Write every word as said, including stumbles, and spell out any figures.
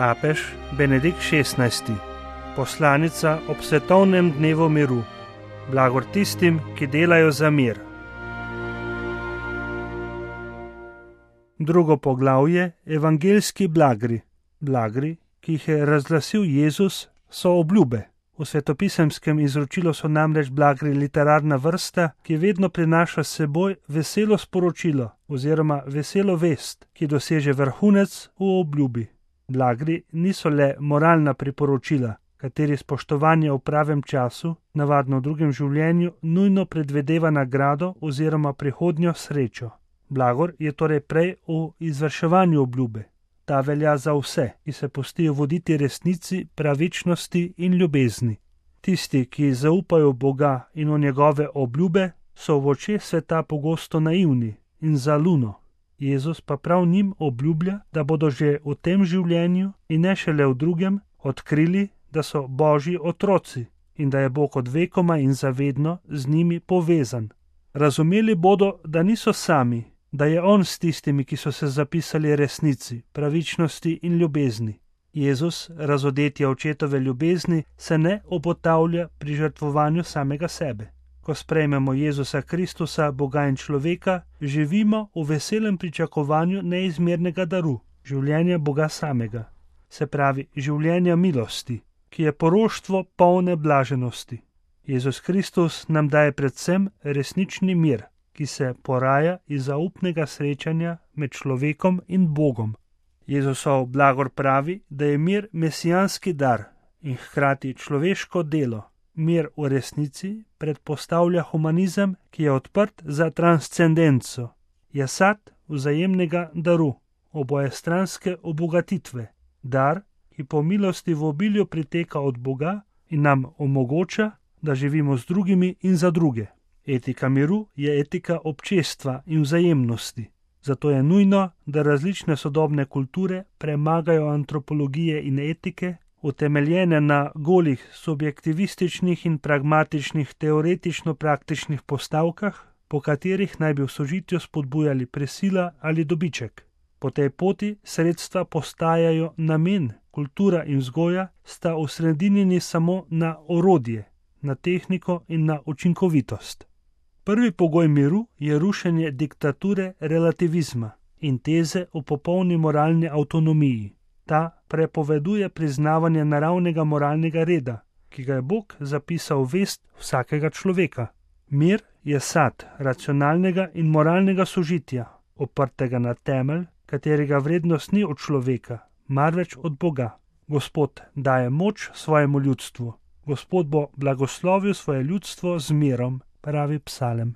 Papež Benedikt šestnajsti. Poslanica ob svetovnem dnevu miru. Blagor tistim, ki delajo za mir. Drugo poglavje, evangeljski blagri. Blagri, ki jih je razglasil Jezus, so obljube. V svetopisemskem izročilu so namreč blagri literarna vrsta, ki vedno prinaša s seboj veselo sporočilo oziroma veselo vest, ki doseže vrhunec v obljubi. Blagri niso le moralna priporočila, kateri spoštovanje v pravem času, navadno v drugem življenju, nujno predvedeva nagrado oziroma prihodnjo srečo. Blagor je torej prej v izvrševanju obljube. Ta velja za vse, ki se pustijo voditi resnici, pravičnosti in ljubezni. Tisti, ki zaupajo v Boga in v njegove obljube, so v očeh sveta pogosto naivni in za luno. Jezus pa prav njim obljublja, da bodo že v tem življenju in ne šele v drugem odkrili, da so Božji otroci in da je Bog od vekoma in zavedno z njimi povezan. Razumeli bodo, da niso sami, da je On s tistimi, ki so se zapisali resnici, pravičnosti in ljubezni. Jezus, razodetja očetove ljubezni, se ne obotavlja pri žrtvovanju samega sebe. Ko sprejmemo Jezusa Kristusa, Boga in človeka, živimo v veselem pričakovanju neizmernega daru, življenja Boga samega, se pravi življenja milosti, ki je poroštvo polne blaženosti. Jezus Kristus nam daje predvsem resnični mir, ki se poraja iz zaupnega srečanja med človekom in Bogom. Jezusov blagor pravi, da je mir mesijanski dar in hkrati človeško delo. Mir v resnici predpostavlja humanizem, ki je odprt za transcendenco. Je sad vzajemnega daru, obojestranske obogatitve. Dar, ki po milosti v obilju priteka od Boga in nam omogoča, da živimo z drugimi in za druge. Etika miru je etika občestva in vzajemnosti. Zato je nujno, da različne sodobne kulture premagajo antropologije in etike, utemeljene na golih subjektivističnih in pragmatičnih teoretično-praktičnih postavkah, po katerih naj bi v sožitju spodbujali presila ali dobiček. Po tej poti sredstva postajajo namen, kultura in vzgoja sta osredinjeni samo na orodje, na tehniko in na učinkovitost. Prvi pogoj miru je rušenje diktature relativizma in teze o popolni moralni avtonomiji. Ta prepoveduje priznavanje naravnega moralnega reda, ki ga je Bog zapisal v vest vsakega človeka. Mir je sad racionalnega in moralnega sožitja, oprtega na temelj, katerega vrednost ni od človeka, marveč od Boga. Gospod daje moč svojemu ljudstvu. Gospod bo blagoslovil svoje ljudstvo z mirom, pravi psalem.